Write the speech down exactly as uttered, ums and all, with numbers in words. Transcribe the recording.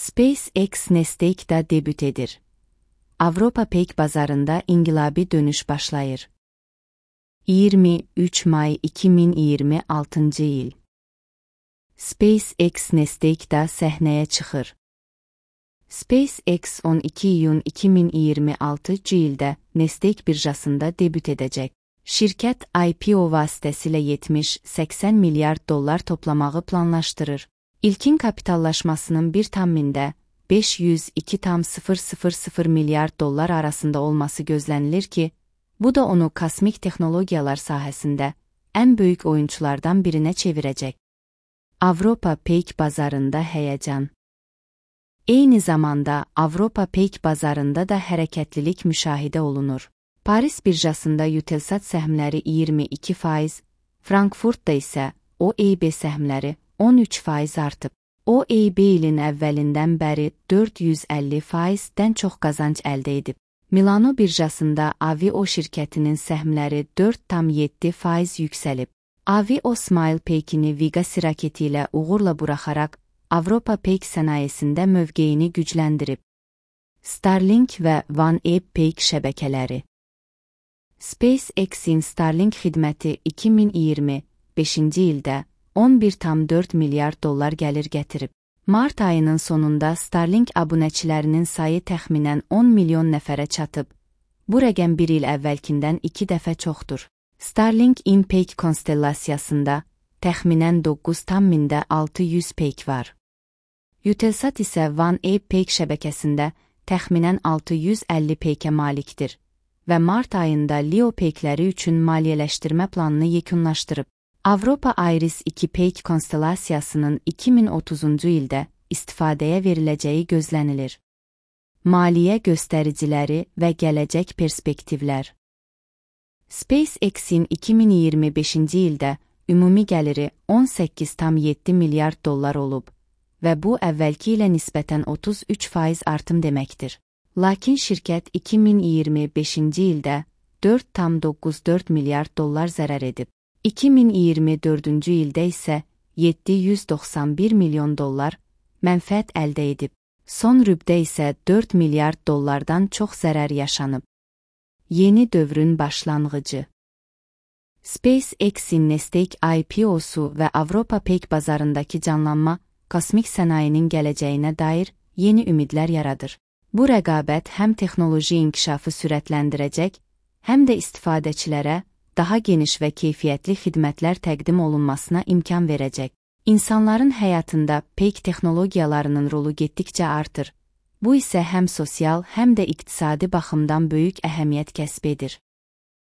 SpaceX Nesta'da debüt edir. Avropa peyk bazarında inqilabi dönüş başlayır. iyirmi üç may iki min iyirmi altıncı il. SpaceX Nesta'da səhnəyə çıxır. SpaceX on iki iyun iki min iyirmi altıncı ildə Nasdaq birjasında debüt edəcək. Şirkət I P O vasitəsilə yetmiş səksən milyard dollar toplamağı planlaşdırır. İlkin kapitallaşmasının bir tammində beş yüz iki tam sıfır sıfır sıfır milyard dollar arasında olması gözlənilir ki, bu da onu kosmik texnologiyalar sahəsində ən böyük oyunçulardan birinə çevirəcək. Avropa peyk bazarında həyəcan. Eyni zamanda Avropa peyk bazarında da hərəkətlilik müşahidə olunur. Paris birjasında Eutelsat səhmləri iyirmi iki faiz, Frankfurtda isə O E B səhmləri on üç faiz artıb. O E B ilin əvvəlindən bəri dörd yüz əlli faizdən çox qazanc əldə edib. Milano birjasında Avio şirkətinin səhmləri dörd tam yeddi faiz yüksəlib. Avio Smile peykini Vega raketi ilə uğurla buraxaraq Avropa peyk sənayesində mövqeyini gücləndirib. Starlink və OneWeb peyk şəbəkələri. SpaceX-in Starlink xidməti iki min iyirmi beşinci ildə on bir tam dörd milyard dollar gəlir gətirib. Mart ayının sonunda Starlink abunəçilərinin sayı təxminən on milyon nəfərə çatıb. Bu rəqəm bir il əvvəlkindən iki dəfə çoxdur. Starlink in peyk konstellasiyasında təxminən doqquz tam mində altı yüz peyk var. Eutelsat isə OneWeb peyk şəbəkəsində təxminən altı yüz əlli peykə malikdir və mart ayında Leo peykləri üçün maliyyələşdirmə planını yekunlaşdırıb. Avropa Iris iki peyk konstellasiyasının iki min otuzuncu ildə istifadəyə veriləcəyi gözlənilir. Maliyyə göstəriciləri və gələcək perspektivlər. SpaceX-in iki min iyirmi beşinci ildə ümumi gəliri on səkkiz tam yeddi milyard dollar olub və bu əvvəlki ilə nisbətən otuz üç faiz artım deməkdir. Lakin şirkət iki min iyirmi beşinci ildə dörd tam doqquz dörd milyard dollar zərər edib. iki min iyirmi dördüncü ildə isə yeddi yüz doxsan bir milyon dollar mənfəət əldə edib. Son rübdə isə dörd milyard dollardan çox zərər yaşanıb. Yeni dövrün başlanğıcı. SpaceX-in Nasdaq I P O-su və Avropa peyk bazarındakı canlanma kosmik sənayinin gələcəyinə dair yeni ümidlər yaradır. Bu rəqabət həm texnoloji inkişafı sürətləndirəcək, həm də istifadəçilərə daha geniş və keyfiyyətli xidmətlər təqdim olunmasına imkan verəcək. İnsanların həyatında peyk texnologiyalarının rolu getdikcə artır. Bu isə həm sosial, həm də iqtisadi baxımdan böyük əhəmiyyət kəsb edir.